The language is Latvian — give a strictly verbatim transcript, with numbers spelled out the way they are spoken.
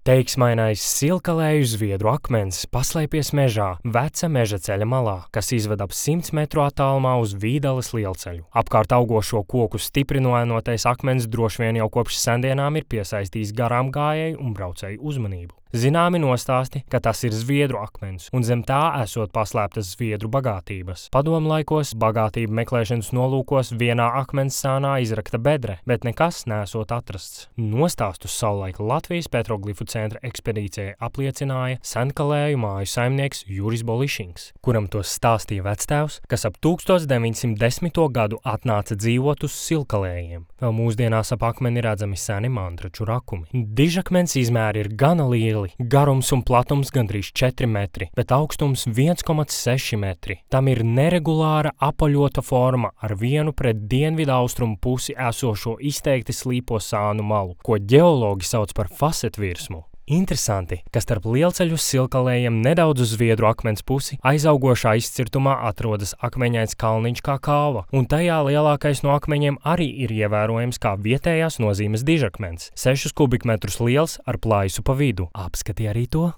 Teiksmainais silkalēju zviedru akmens paslēpies mežā, veca meža ceļa malā, kas izved ap simts metru attālumā uz Vīdales lielceļu. Apkārt augošo koku stipri noēnotais akmens droši vien jau kopš sendienām ir piesaistījis garām gājēju un braucēju uzmanību. Zināmi nostāsti, ka tas ir zviedru akmens, un zem tā esot paslēptas zviedru bagātības. Padomu laikos bagātību meklēšanas nolūkos vienā akmens sānā izrakta bedre, bet nekas nesot atrasts. Nostāstus savulaik Latvijas petroglifu centra ekspedīcijai apliecināja senkalēju māju saimnieks Juris Bolišings, kuram tos stāstīja vectēvs, kas ap tūkstoš deviņsimt desmito gadu atnāca dzīvot uz silkalējiem. Vēl mūsdienās ap akmeni redzami seni mantraču rakumi. Dižakmens izmēri ir gana lieli. Garums un platums gandrīz četri metri, bet augstums viens komats seši metri. Tam ir neregulāra apaļota forma ar vienu pret dienvidu austrumu pusi esošo izteikti slīpo sānu malu, ko ģeologi sauc par fasetvirsmu. Interesanti, ka starp lielceļu silkalējiem nedaudz uz zviedru akmens pusi aizaugošā izcirtumā atrodas akmeņains kalniņš kā kāva, un tajā lielākais no akmeņiem arī ir ievērojams kā vietējās nozīmes dižakmens, sešus kubikmetrus liels ar plaisu pa vidu. Apskati arī to!